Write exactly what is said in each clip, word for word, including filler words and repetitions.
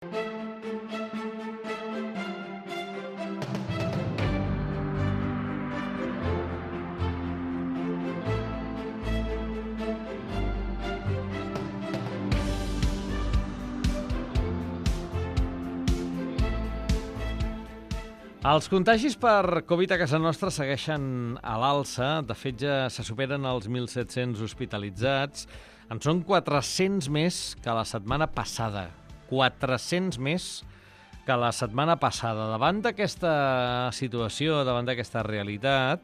Els contagis per Covid a casa nostra segueixen a l'alça. De fet, ja se superen els mil set-cents hospitalitzats. En són quatre-cents més que la setmana passada. quatre-cents més que la setmana passada. Davant d'aquesta situació, davant d'aquesta realitat,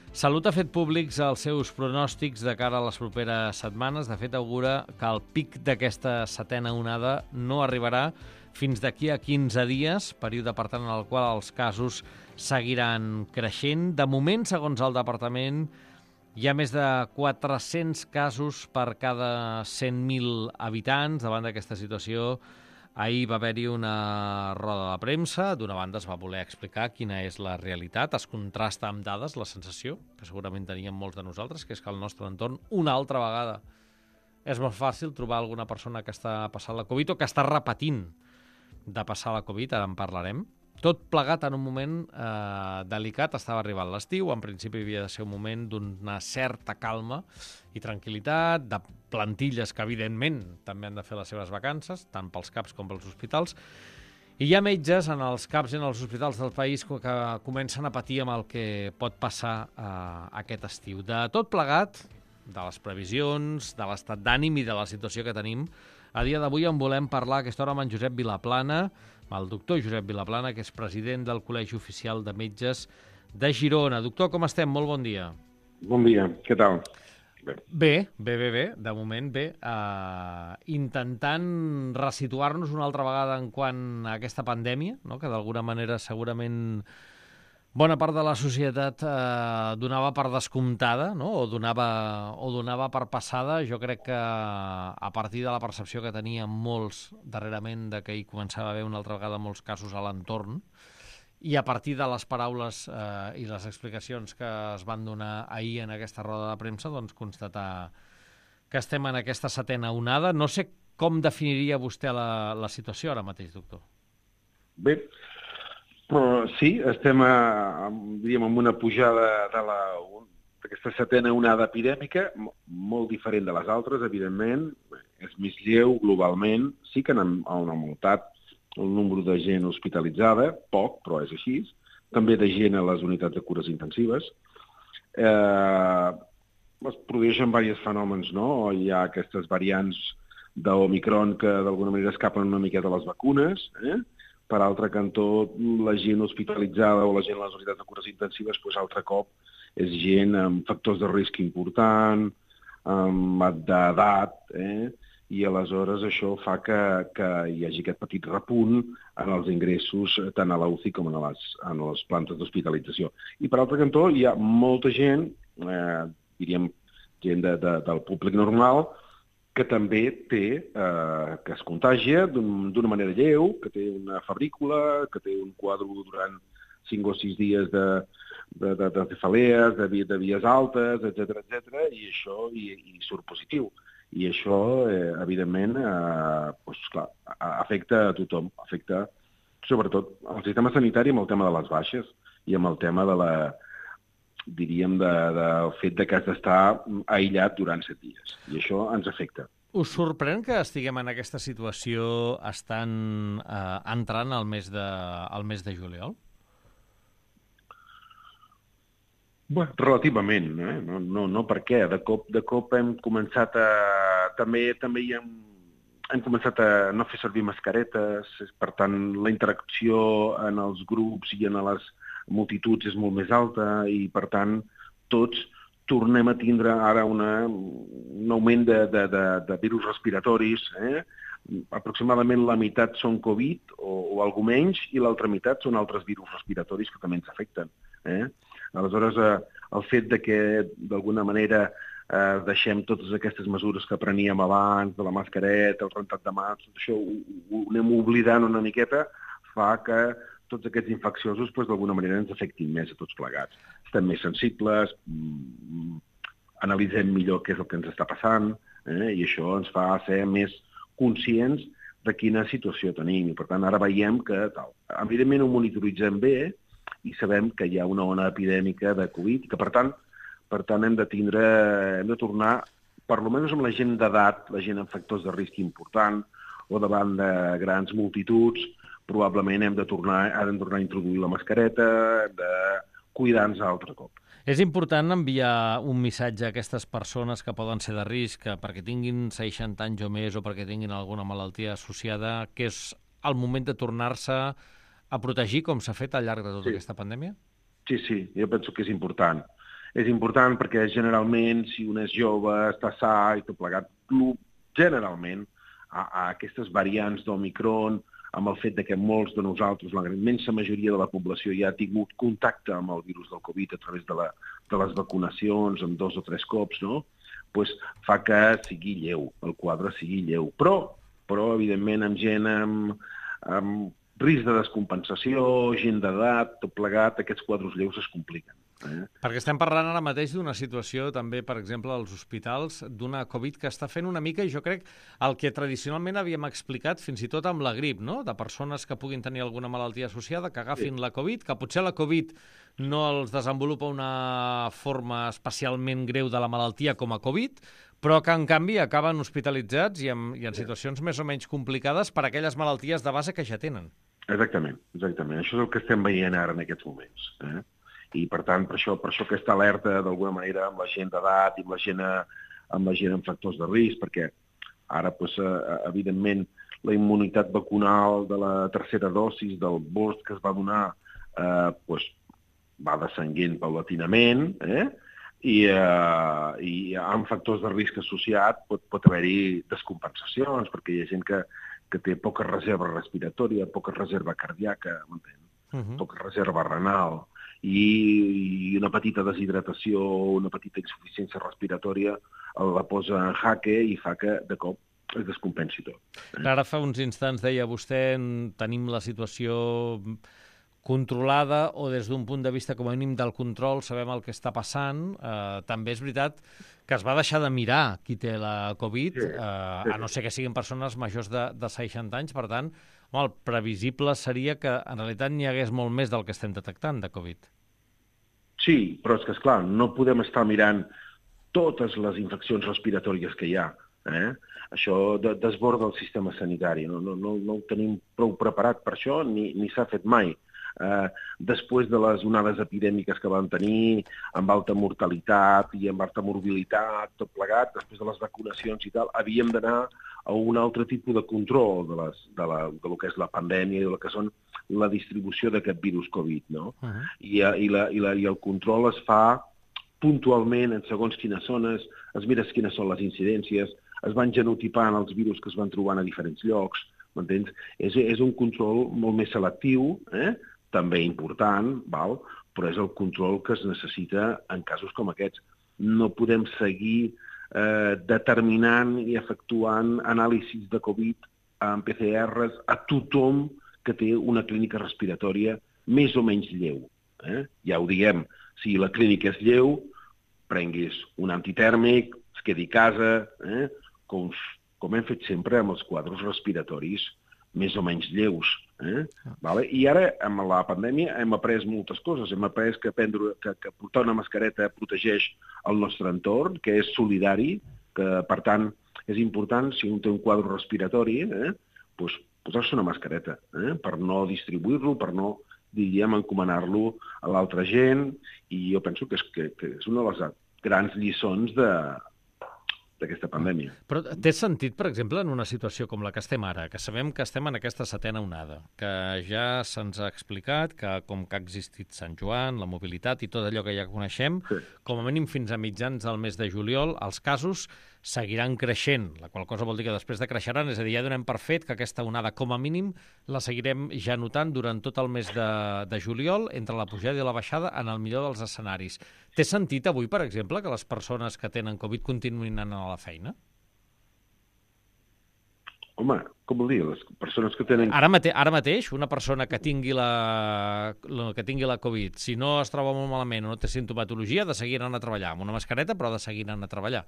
Salut ha fet públics els seus pronòstics de cara a les properes setmanes. De fet, augura que el pic d'aquesta setena onada no arribarà fins d'aquí a quinze dies, període, per tant, en el qual els casos seguiran creixent. De moment, segons el departament, hi ha més de quatre-cents casos per cada cent mil habitants. Davant d'aquesta situació, ahir va haver-hi una roda de premsa. D'una banda es va voler explicar quina és la realitat. Es contrasta amb dades la sensació, que segurament teníem molts de nosaltres, que és que al nostre entorn, una altra vegada, és molt fàcil trobar alguna persona que està passant la Covid o que està repetint de passar la Covid, ara en parlarem. Tot plegat en un moment eh, delicat. Estava arribant l'estiu, en principi havia de ser un moment d'una certa calma i tranquil·litat, de plantilles que, evidentment, també han de fer les seves vacances, tant pels CAPs com pels hospitals. I hi ha metges en els CAPs i en els hospitals del país que comencen a patir amb el que pot passar eh, aquest estiu. De tot plegat, de les previsions, de l'estat d'ànim i de la situació que tenim, a dia d'avui en volem parlar a aquesta hora amb en Josep Vilaplana, amb el doctor Josep Vilaplana, que és president del Col·legi Oficial de Metges de Girona. Doctor, com estem? Molt bon dia. Bon dia, què tal? Bé, bé, bé, bé, bé. De moment bé. Uh, intentant resituar-nos una altra vegada en quant a aquesta pandèmia, no? Que d'alguna manera segurament bona part de la societat eh, donava per descomptada, no? o, donava, o donava per passada. Jo crec que a partir de la percepció que tenien molts darrerament de que hi començava a haver una altra vegada molts casos a l'entorn, i a partir de les paraules eh, i les explicacions que es van donar ahir en aquesta roda de premsa, doncs constatar que estem en aquesta setena onada. No sé com definiria vostè la, la situació ara mateix, doctor. Bé, però sí, estem a, diríem, amb una pujada de la, d'aquesta setena onada epidèmica, molt diferent de les altres, evidentment. És més lleu globalment. Sí que han, han augmentat el nombre de gent hospitalitzada, poc, però és així. També de gent a les unitats de cures intensives. Eh, es produeixen diversos fenòmens, no? Hi ha aquestes variants d'Omicron que d'alguna manera escapen una miqueta a les vacunes, eh? Per altre cantó, la gent hospitalitzada o la gent a les unitats de cures intensives, doncs, altre cop, és gent amb factors de risc important, amb d'edat, eh? I aleshores això fa que, que hi hagi aquest petit repunt en els ingressos tant a la U C I com en les, en les plantes d'hospitalització. I per altre cantó, hi ha molta gent, eh, diríem, gent de, de, del públic normal, que també té, eh, que es contagia d'una manera lleu, que té una febrícula, que té un quadre durant cinc o sis dies de, de, de, de cefalees, de, de vies altes, etcètera, etcètera, i això i, i surt positiu. I això, eh, evidentment, eh, doncs, clar, afecta a tothom, afecta sobretot al sistema sanitari amb el tema de les baixes i amb el tema de la, diríem, de, del fet de que has d'estar aïllat durant set dies. I això ens afecta. Us sorprèn que estiguem en aquesta situació estant eh, entrant al mes de, al mes de juliol? Bé, relativament, eh? no, no, no per què. De cop, de cop hem començat a... També, també hi hem, hem començat a no fer servir mascaretes, per tant, la interacció en els grups i en les multituds és molt més alta i, per tant, tots tornem a tindre ara una, un augment de, de, de, de virus respiratoris. Eh? Aproximadament la meitat són Covid o, o alguna menys i l'altra meitat són altres virus respiratoris que també ens afecten. Eh? Aleshores, eh, el fet de que, d'alguna manera, eh, deixem totes aquestes mesures que preníem abans, de la mascareta, el rentat de mans, tot això ho, ho anem oblidant una miqueta, fa que tots aquests infecciosos doncs, d'alguna manera ens afectin més a tots plegats. Estem més sensibles, mm, analitzem millor què és el que ens està passant, eh? I això ens fa ser més conscients de quina situació tenim. I, per tant, ara veiem que, tal, evidentment, ho monitoritzem bé i sabem que hi ha una ona epidèmica de Covid i que, per tant, per tant hem de tindre, hem de tornar, per almenys amb la gent d'edat, la gent amb factors de risc important o davant de grans multituds, probablement hem de tornar, hem de tornar a introduir la mascareta, hem de cuidar-nos altre cop. És important enviar un missatge a aquestes persones que poden ser de risc, que perquè tinguin seixanta anys o més o perquè tinguin alguna malaltia associada, que és el moment de tornar-se a protegir com s'ha fet al llarg de tota sí. aquesta pandèmia? Sí, sí, jo penso que és important. És important perquè generalment si un és jove, està sa i tot plegat, generalment a, a aquestes variants d'Omicron, amb el fet de que molts de nosaltres, la immensa majoria de la població, ja ha tingut contacte amb el virus del Covid a través de, la, de les vacunacions, amb dos o tres cops, no? Pues fa que sigui lleu, el quadre sigui lleu. Però, però evidentment, amb gent amb, amb risc de descompensació, gent d'edat, tot plegat, aquests quadres lleus es compliquen. Eh? Perquè estem parlant ara mateix d'una situació també, per exemple, als hospitals, d'una Covid que està fent una mica, i jo crec, el que tradicionalment havíem explicat fins i tot amb la grip, no? De persones que puguin tenir alguna malaltia associada, que agafin sí. la Covid, que potser la Covid no els desenvolupa una forma especialment greu de la malaltia com a Covid, però que, en canvi, acaben hospitalitzats i en, i en situacions més o menys complicades per aquelles malalties de base que ja tenen. Exactament, exactament. Això és el que estem veient ara en aquests moments. Eh? I, per tant, per això, per això aquesta alerta, d'alguna manera, amb la gent d'edat i amb la gent, amb la gent amb factors de risc, perquè ara, doncs, evidentment, la immunitat vacunal de la tercera dosis del boost que es va donar eh, doncs, va descenguent paulatinament, eh? I, eh, i amb factors de risc associat pot, pot haver-hi descompensacions, perquè hi ha gent que, que té poca reserva respiratòria, poca reserva cardíaca, m'entén? Uh-huh. Poca reserva renal, i una petita deshidratació, una petita insuficiència respiratòria la posa en jaque i fa que, de cop, es descompensi tot. Eh? Ara fa uns instants deia vostè, tenim la situació controlada o des d'un punt de vista com a mínim del control, sabem el que està passant. Eh, també és veritat que es va deixar de mirar qui té la Covid, sí, eh, sí. a no ser que siguin persones majors de, de seixanta anys, per tant, home, el previsible seria que en realitat n'hi hagués molt més del que estem detectant de Covid. Sí, però és que, esclar, no podem estar mirant totes les infeccions respiratòries que hi ha. Eh? Això de, desborda el sistema sanitari. No, no, no, no ho tenim prou preparat per això, ni, ni s'ha fet mai. Eh, després de les onades epidèmiques que van tenir, amb alta mortalitat i amb alta morbilitat, tot plegat, després de les vacunacions i tal, havíem d'anar a un altre tipus de control de, les, de, la, de lo que és la pandèmia i de lo que són la distribució d'aquest virus Covid, no? Uh-huh. I, i, la, i, la, I el control es fa puntualment en segons quines zones, es mires quines són les incidències, es van genotipant els virus que es van trobant a diferents llocs, m'entens? És, és un control molt més selectiu, eh? També important, val? Però és el control que es necessita en casos com aquests. No podem seguir eh, determinant i efectuant anàlisis de Covid amb P C Rs a tothom que té una clínica respiratòria més o menys lleu. Eh? Ja ho diem, si la clínica és lleu, prenguis un antitèrmic, es quedi a casa, eh? com, com hem fet sempre amb els quadres respiratoris més o menys lleus. Eh? Vale? I ara, amb la pandèmia, hem après moltes coses. Hem après que, prendre, que, que portar una mascareta protegeix el nostre entorn, que és solidari, que, per tant, és important, si un té un quadre respiratori, eh? pues, posar-se una mascareta, eh? per no distribuir-lo, per no, diríem, encomanar-lo a l'altra gent, i jo penso que és, que, que és una de les grans lliçons de... d'aquesta pandèmia. Però té sentit, per exemple, en una situació com la que estem ara, que sabem que estem en aquesta setena onada, que ja se'ns ha explicat que com que ha existit Sant Joan, la mobilitat i tot allò que ja coneixem, sí. com a mínim fins a mitjans del mes de juliol, els casos seguiran creixent, la qual cosa vol dir que després decreixeran, és a dir, ja donem per fet que aquesta onada, com a mínim, la seguirem ja notant durant tot el mes de, de juliol, entre la pujada i la baixada, en el millor dels escenaris. Té sentit avui, per exemple, que les persones que tenen Covid continuïn anant a la feina? Home, com vol dir? Les persones que tenen... Ara, mate ara mateix, una persona que tingui, la, que tingui la Covid, si no es troba molt malament o no té sintomatologia, ha de seguir anant a treballar, amb una mascareta, però ha de seguir anant a treballar.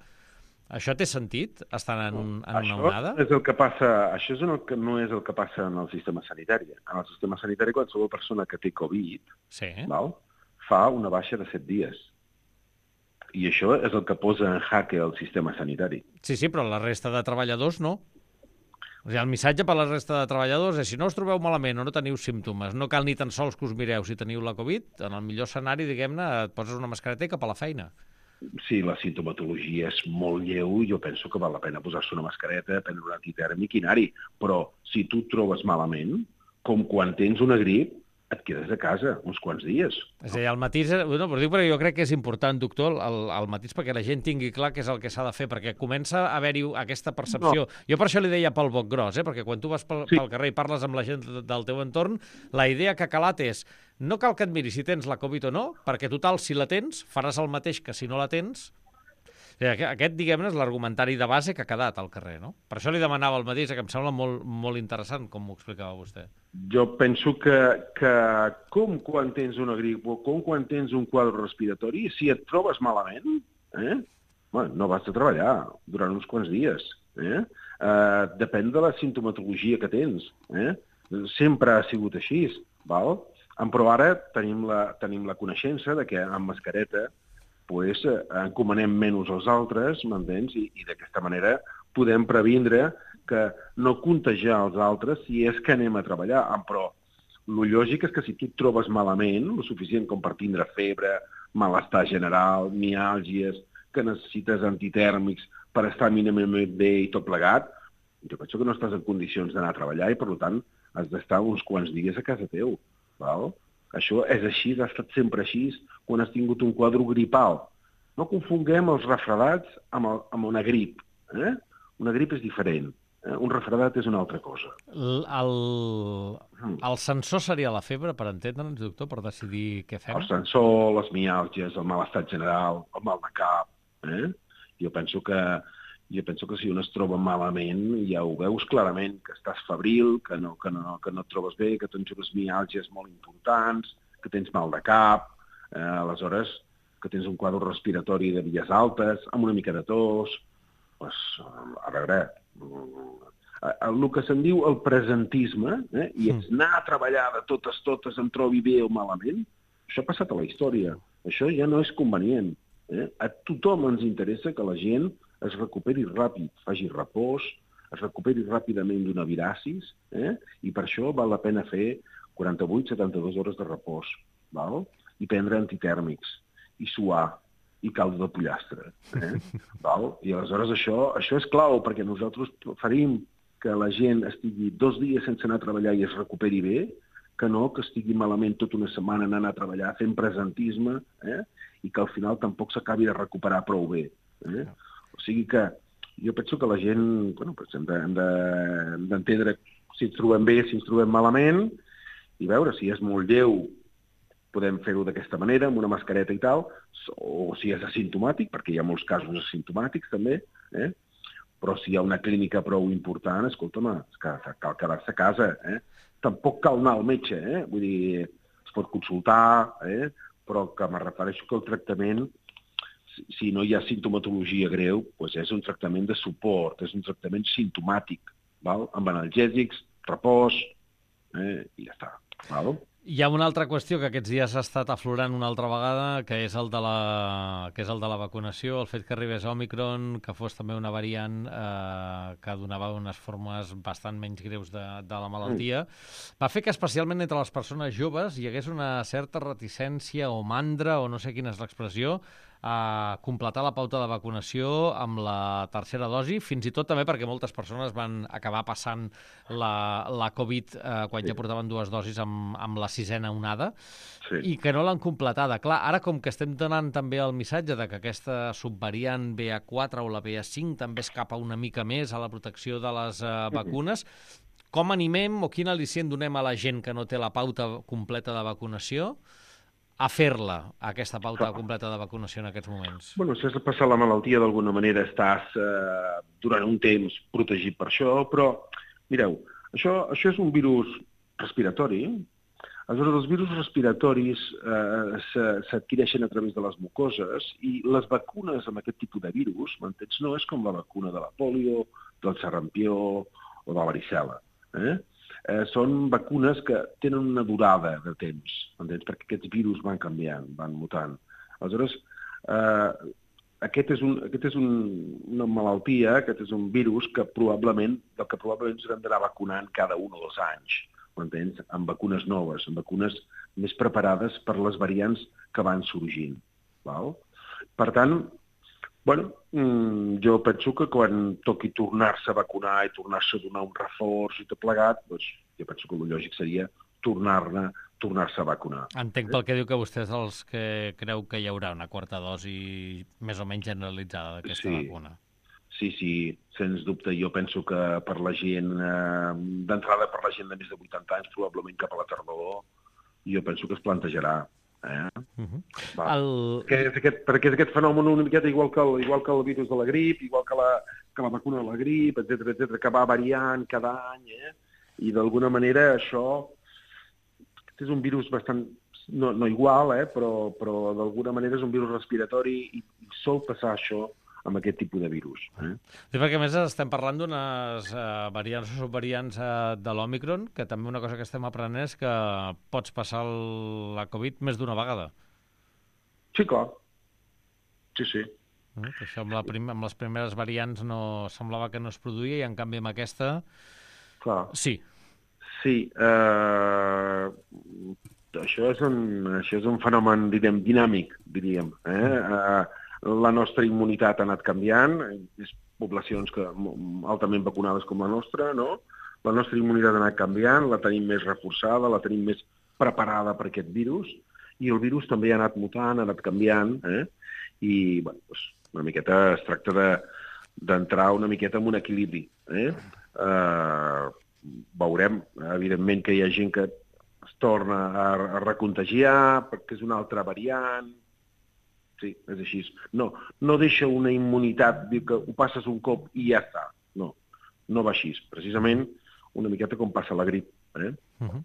Això té sentit, estant en, un, en això una onada? És el que passa, això és el que, no és el que passa en el sistema sanitari. En el sistema sanitari, qualsevol persona que té Covid Sí. val, fa una baixa de set dies. I això és el que posa en jaque el sistema sanitari. Sí, sí, però la resta de treballadors no. O sigui, el missatge per a la resta de treballadors és si no us trobeu malament o no teniu símptomes, no cal ni tan sols que us mireu si teniu la Covid, en el millor escenari, diguem-ne, et poses una mascareta i cap a la feina. Si la sintomatologia és molt lleu, jo penso que val la pena posar-se una mascareta, prendre un antitèrmic i anar-hi. Però si tu et trobes malament, com quan tens una grip, et quedes a casa uns quants dies. És a dir, el matís... No, però dic perquè jo crec que és important, doctor, el, el matís perquè la gent tingui clar què és el que s'ha de fer, perquè comença a haver-hi aquesta percepció. No. Jo per això li deia pel boc gros, eh? Perquè quan tu vas pel, sí. pel carrer i parles amb la gent del teu entorn, la idea que ha calat és no cal que et miris si tens la Covid o no, perquè total, si la tens, faràs el mateix que si no la tens. Aquest, diguem-ne, és l'argumentari de base que ha quedat al carrer, no? Per això li demanava el mateix, que em sembla molt, molt interessant, com m'ho explicava vostè. Jo penso que, que com quan tens una grip o com quan tens un quadre respiratori, si et trobes malament, eh, bueno, no vas a treballar durant uns quants dies. Eh? Uh, depèn de la sintomatologia que tens. Eh? Sempre ha sigut així, val? Però ara tenim la, tenim la coneixença de que amb mascareta pues, encomanem menys als altres, m'entens? I, i d'aquesta manera podem previndre que no contagiar els altres si és que anem a treballar. Però el lògic és que si tu et trobes malament, el suficient com per tindre febre, malestar general, miàlgies, que necessites antitèrmics per estar mínimament bé i tot plegat, jo penso que no estàs en condicions d'anar a treballar i, per tant, has d'estar uns quants dies a casa teu. Val? Això és així, ha estat sempre així quan has tingut un quadre gripal. No confonguem els refredats amb, el, amb una grip. Eh? Una grip és diferent. Eh? Un refredat és una altra cosa. El, el, el sensor seria la febre, per entendre'ns, doctor, per decidir què fem? El sensor, les miàlgies, el malestar general, el mal de cap. Eh? Jo penso que Jo penso que si un es troba malament, ja ho veus clarament, que estàs febril, que no, que no, que no et trobes bé, que tens unes miàlgies molt importants, que tens mal de cap, eh, aleshores que tens un quadre respiratori de vies altes, amb una mica de tos, pues, a veure, el que se'n diu el presentisme, eh, i és anar a treballar de totes, totes, em trobi bé o malament, això ha passat a la història. Això ja no és convenient. Eh? A tothom ens interessa que la gent es recuperi ràpid, faci repòs, es recuperi ràpidament d'una viracis, eh? I per això val la pena fer quaranta-vuit a setanta-dues hores de repòs, val? I prendre antitèrmics, i suar, i caldo de pollastre. Eh? Val? I aleshores això, això és clau, perquè nosaltres preferim que la gent estigui dos dies sense anar a treballar i es recuperi bé, que no que estigui malament tota una setmana anant a treballar fent presentisme, eh? I que al final tampoc s'acabi de recuperar prou bé. Eh? O sigui que jo penso que la gent, bueno, pues hem d'entendre si ens trobem bé, si ens trobem malament, i veure si és molt lleu, podem fer-ho d'aquesta manera, amb una mascareta i tal, o si és asimptomàtic, perquè hi ha molts casos asimptomàtics també, eh? Però si hi ha una clínica prou important, escolta'm, cal quedar-se a casa. Eh? Tampoc cal anar al metge, eh? Vull dir, es pot consultar, eh? Però que me refereixo que el tractament, si no hi ha sintomatologia greu, doncs és un tractament de suport, és un tractament simptomàtic, val? Amb analgèsics, repòs, eh? I ja està. Val? Hi ha una altra qüestió que aquests dies ha estat aflorant una altra vegada, que és el de la, que és el de la vacunació, el fet que arribés Òmicron, que fos també una variant eh, que donava unes formes bastant menys greus de, de la malaltia, va fer que especialment entre les persones joves hi hagués una certa reticència o mandra, o no sé quina és l'expressió, a completar la pauta de vacunació amb la tercera dosi, fins i tot també perquè moltes persones van acabar passant la, la Covid eh, quan sí. ja portaven dues dosis amb, amb la sisena onada, sí. i que no l'han completada. Clar, ara com que estem donant també el missatge de que aquesta subvariant B A quatre o la B A cinc també escapa una mica més a la protecció de les eh, vacunes, com animem o quin al·licient donem a la gent que no té la pauta completa de vacunació a fer-la, aquesta pauta completa de vacunació en aquests moments? Bueno, si has de passar la malaltia, d'alguna manera estàs eh, durant un temps protegit per això, però, mireu, això, això és un virus respiratori, Aleshores, els virus respiratoris eh, s'adquireixen a través de les mucoses i les vacunes amb aquest tipus de virus, m'entens? No és com la vacuna de la polio, del sarampió o de la varicel·la. Eh? Eh, són vacunes que tenen una durada de temps, m'entens? Perquè aquests virus van canviant, van mutant. Aleshores, eh, aquest és, un, aquest és un, una malaltia, aquest és un virus que probablement, del que probablement ens hem d'anar vacunant cada un o dos anys, m'entens? Amb vacunes noves, amb vacunes més preparades per les variants que van sorgint. Val? Per tant, bueno, jo penso que quan toqui tornar-se a vacunar i tornar-se a donar un reforç i tot plegat, doncs, jo penso que el lògic seria tornar-ne tornar-se a vacunar. Entenc pel que diu que vostès els que creu que hi haurà una quarta dosi més o menys generalitzada d'aquesta sí. vacuna. Sí, sí, sens dubte. Jo penso que per la gent, eh, d'entrada per la gent de més de vuitanta anys, probablement cap a la tardor, jo penso que es plantejarà. Eh? Uh-huh. El... Que és aquest, perquè és aquest fenomen una miqueta igual que, el, igual que el virus de la grip, igual que la, que la vacuna de la grip, etcètera, etcètera, que va variant cada any, eh? I d'alguna manera això és un virus bastant, no, no igual, eh? però, però d'alguna manera és un virus respiratori i, i sol passar això amb aquest tipus de virus. Eh? Sí, perquè a més estem parlant d'unes uh, variants o subvariants uh, de l'Òmicron, que també una cosa que estem aprenent és que pots passar el, la Covid més d'una vegada. Sí, clar. Sí, sí. Uh, això amb, la prim amb les primeres variants no semblava que no es produïa i en canvi amb aquesta... Clar. Sí. Sí. Uh, això, és un, això és un fenomen, diríem, dinàmic, diríem. Eh? Uh, La nostra immunitat ha anat canviant, és poblacions que, altament vacunades com la nostra, no? La nostra immunitat ha anat canviant, la tenim més reforçada, la tenim més preparada per aquest virus, i el virus també ha anat mutant, ha anat canviant, eh? I, bueno, doncs, una miqueta es tracta de, d'entrar una miqueta en un equilibri, eh? Uh, veurem, evidentment, que hi ha gent que es torna a, a recontagiar, perquè és una altra variant. Sí, és així. No, no deixa una immunitat, diu que ho passes un cop i ja està. No, no va així. Precisament una miqueta com passa la grip. Eh? Uh-huh.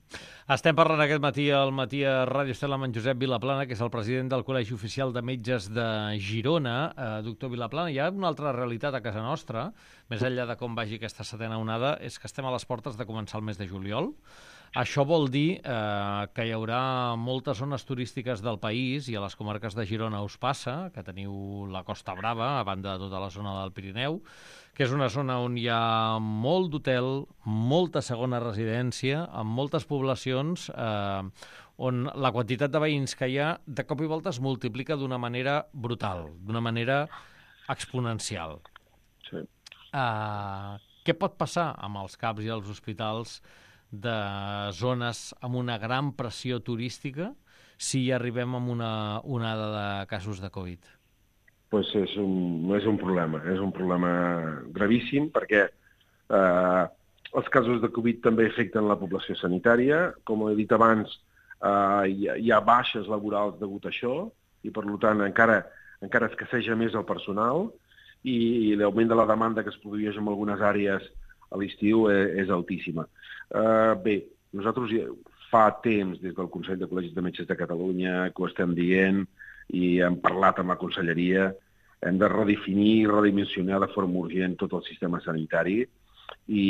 Estem parlant aquest matí al matí a Ràdio Estel amb en Josep Vilaplana, que és el president del Col·legi Oficial de Metges de Girona. Eh, doctor Vilaplana, hi ha una altra realitat a casa nostra, més enllà de com vagi aquesta setena onada, és que estem a les portes de començar el mes de juliol. Això vol dir eh, que hi haurà moltes zones turístiques del país, i a les comarques de Girona us passa, que teniu la Costa Brava, a banda de tota la zona del Pirineu, que és una zona on hi ha molt d'hotel, molta segona residència, amb moltes poblacions eh, on la quantitat de veïns que hi ha de cop i volta es multiplica d'una manera brutal, d'una manera exponencial. Sí. Eh, què pot passar amb els CAPs i els hospitals de zones amb una gran pressió turística si hi arribem amb una onada de casos de Covid? Pues és un, és un problema, és un problema gravíssim perquè eh, els casos de Covid també afecten la població sanitària. Com he dit abans, eh, hi, ha, hi ha baixes laborals degut a això i, per tant, encara, encara escasseja més el personal i, i l'augment de la demanda que es produeix en algunes àrees a l'estiu és, és altíssima. Uh, bé, nosaltres fa temps, des del Consell de Col·legis de Metges de Catalunya, que ho estem dient i hem parlat amb la conselleria, hem de redefinir i redimensionar de forma urgent tot el sistema sanitari i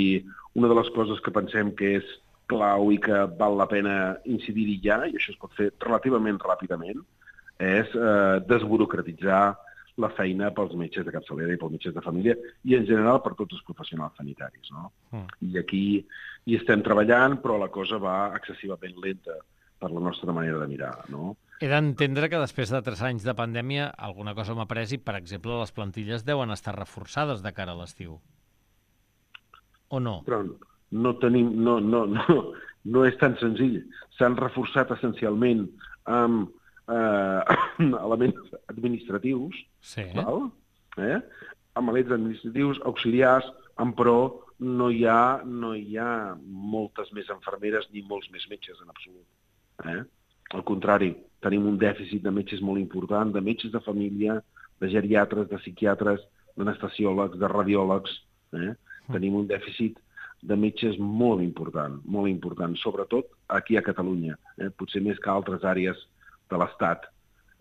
una de les coses que pensem que és clau i que val la pena incidir-hi ja, i això es pot fer relativament ràpidament, és eh, desburocratitzar la feina pels metges de capçalera i pels metges de família i, en general, per tots els professionals sanitaris. No? Mm. I aquí hi estem treballant, però la cosa va excessivament lenta per la nostra manera de mirar. No? He d'entendre que després de tres anys de pandèmia alguna cosa m'ha pres i, per exemple, les plantilles deuen estar reforçades de cara a l'estiu. O no? Però no tenim... No, no, no, no és tan senzill. S'han reforçat essencialment amb eh, elements administratius, sí. Val? Eh? Amb elements administratius, auxiliars, en pro no hi ha, no hi ha moltes més infermeres ni molts més metges en absolut. Eh? Al contrari, tenim un dèficit de metges molt important, de metges de família, de geriatres, de psiquiatres, d'anestesiòlegs, de radiòlegs. Eh? Mm. Tenim un dèficit de metges molt important, molt important, sobretot aquí a Catalunya, eh? potser més que altres àrees de l'Estat.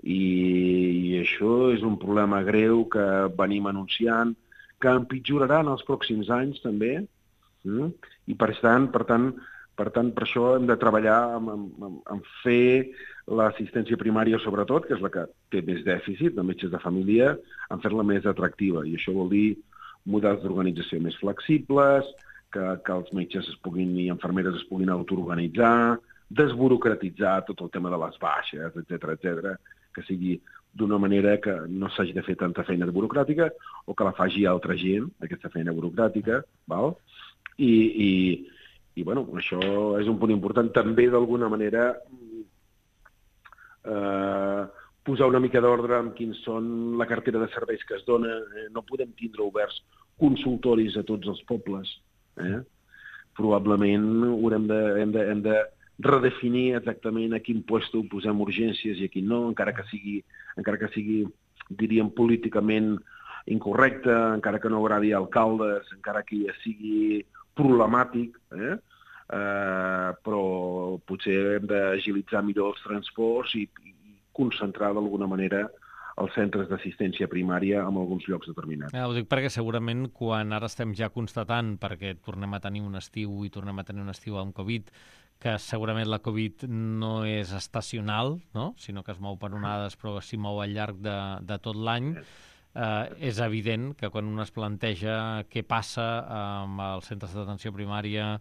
I, I això és un problema greu que venim anunciant, que empitjorarà en els pròxims anys també, eh? i per tant, per tant, per tant, per això hem de treballar en, en, en fer l'assistència primària, sobretot, que és la que té més dèficit de metges de família, en fer-la més atractiva. I això vol dir models d'organització més flexibles, que, que els metges es puguin, i infermeres es puguin autoorganitzar, desburocratitzar tot el tema de les baixes, etcètera, etcètera, que sigui d'una manera que no s'hagi de fer tanta feina burocràtica o que la faci altra gent, aquesta feina burocràtica, val? I, i, i bueno, això és un punt important. També, d'alguna manera, eh, posar una mica d'ordre en quins són la cartera de serveis que es dona. Eh? No podem tindre oberts consultoris a tots els pobles. Eh? Probablement haurem de, hem de, hem de redefinir exactament a quin puesto posem urgències i a quin no, encara que sigui, encara que sigui, diríem, políticament incorrecte, encara que no agradi a alcaldes, encara que ja sigui problemàtic, eh? Eh, però potser hem d'agilitzar millor els transports i, i concentrar d'alguna manera els centres d'assistència primària en alguns llocs determinats. Ja, ho dic perquè segurament quan ara estem ja constatant, perquè tornem a tenir un estiu i tornem a tenir un estiu amb Covid, que segurament la Covid no és estacional, no? Sinó que es mou per onades, però s'hi mou al llarg de, de tot l'any, eh, és evident que quan un es planteja què passa amb els centres d'atenció primària,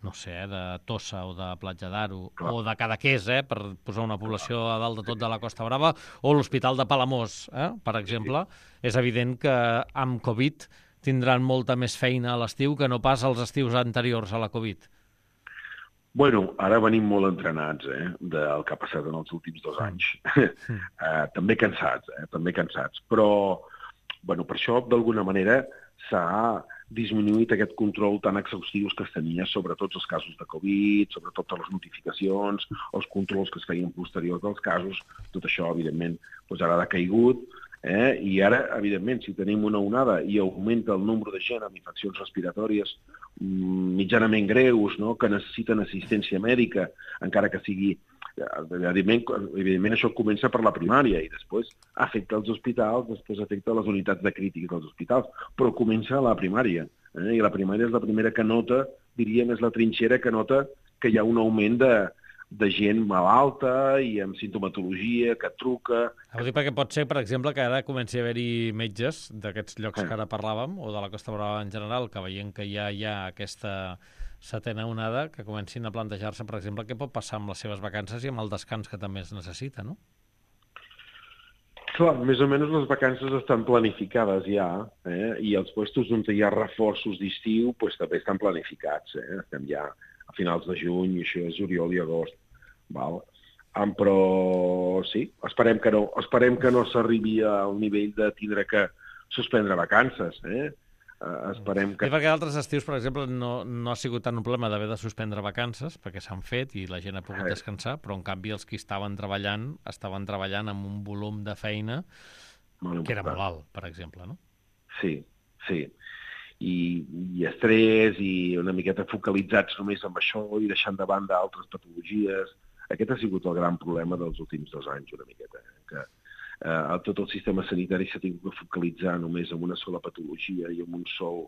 no sé, eh, de Tossa o de Platja d'Aro, o de Cadaqués, eh, per posar una població a dalt de tot de la Costa Brava, o l'Hospital de Palamós, eh, per exemple, és evident que amb Covid tindran molta més feina a l'estiu que no pas als estius anteriors a la Covid. Bueno, ara venim molt entrenats eh, del que ha passat en els últims dos anys. Mm. eh, també cansats, eh, també cansats. Però, bueno, per això, d'alguna manera, s'ha disminuït aquest control tan exhaustius que es tenia sobre tots els casos de Covid, sobre totes les notificacions, els controls que es feien posteriors dels casos. Tot això, evidentment, doncs ara ha caigut. Eh? I ara, evidentment, si tenim una onada i augmenta el nombre de gent amb infeccions respiratòries mitjanament greus, no? Que necessiten assistència mèdica, encara que sigui... Evidentment, evidentment, això comença per la primària i després afecta els hospitals, després afecta les unitats de crítiques dels hospitals, però comença a la primària. Eh? I la primària és la primera que nota, diríem, és la trinxera que nota que hi ha un augment de, de gent malalta i amb sintomatologia, que truca... Ho dic perquè pot ser, per exemple, que ara comenci a haver-hi metges d'aquests llocs que ara parlàvem, o de la Costa Brava en general, que veient que ja hi ha aquesta setena onada, que comencin a plantejar-se, per exemple, què pot passar amb les seves vacances i amb el descans que també es necessita, no? Clar, més o menys les vacances estan planificades ja, eh? I els puestos on hi ha reforços d'estiu pues, també estan planificats. Eh? Estem ja a finals de juny, i això és juliol i agost. Val? Um, però sí, esperem que no, esperem que no s'arribi al nivell de tindre que suspendre vacances, eh? Uh, esperem que... I perquè altres estius, per exemple, no, no ha sigut tant un problema d'haver de suspendre vacances, perquè s'han fet i la gent ha pogut eh. descansar, però en canvi els que estaven treballant, estaven treballant amb un volum de feina que era molt alt, per exemple, no? Sí, sí. I, i estrès i una miqueta focalitzats només amb això i deixant de banda altres patologies. Aquest ha sigut el gran problema dels últims dos anys, una miqueta, eh? que Uh, tot el sistema sanitari s'ha tingut que focalitzar només en una sola patologia i en un sol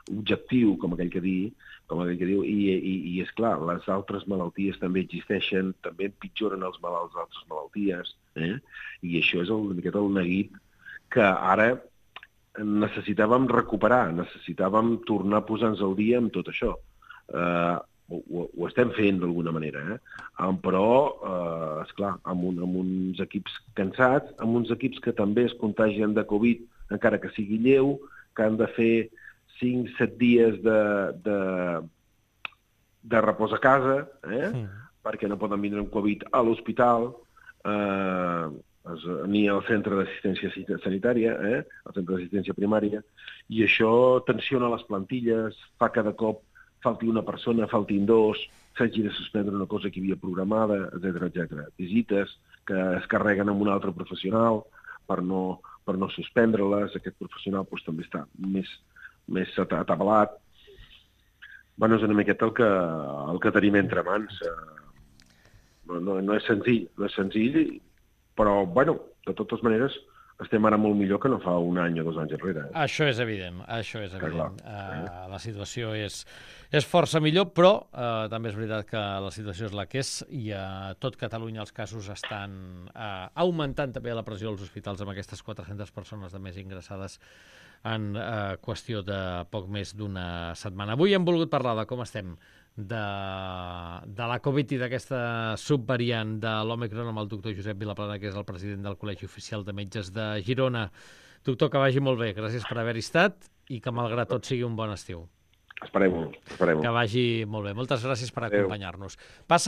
objectiu, com aquell que, dir, com aquell que diu, i, i, i és clar, les altres malalties també existeixen, també empitjoren els malalts d'altres malalties, eh? I això és una miqueta el neguit que ara necessitàvem recuperar, necessitàvem tornar a posar-nos al dia amb tot això. Uh, Ho, ho estem fent d'alguna manera, eh? Um, però, eh, esclar, amb, un, amb uns equips cansats, amb uns equips que també es contagien de Covid, encara que sigui lleu, que han de fer cinc set dies de, de, de repòs a casa, eh? Sí. Perquè no poden vindre amb Covid a l'hospital, eh, ni al centre d'assistència sanitària, eh? Al centre d'assistència primària, i això tensiona les plantilles, fa cada cop falti una persona, faltin dos, s'hagi de suspendre una cosa que hi havia programada, etcètera, etcètera. Visites que es carreguen amb un altre professional per no, per no suspendre-les. Aquest professional doncs, també està més, més atabalat. Bueno, és una miqueta el que, el que tenim entre mans. No, no, no és senzill, no és senzill, però, bueno, de totes maneres, estem ara molt millor que no fa un any o dos anys enrere. Eh? Això és evident, això és evident. Clar, clar. Uh, la situació és, és força millor, però uh, també és veritat que la situació és la que és i a tot Catalunya els casos estan uh, augmentant també la pressió als hospitals amb aquestes quatre-centes persones de més ingressades en uh, qüestió de poc més d'una setmana. Avui hem volgut parlar de com estem de, de la Covid i d'aquesta subvariant de l'Òmicron amb el doctor Josep Vilaplana, que és el president del Col·legi Oficial de Metges de Girona. Doctor, que vagi molt bé. Gràcies per haver-hi estat i que, malgrat tot, sigui un bon estiu. Esperem-ho, esperem-ho. Que vagi molt bé. Moltes gràcies per acompanyar-nos. Passa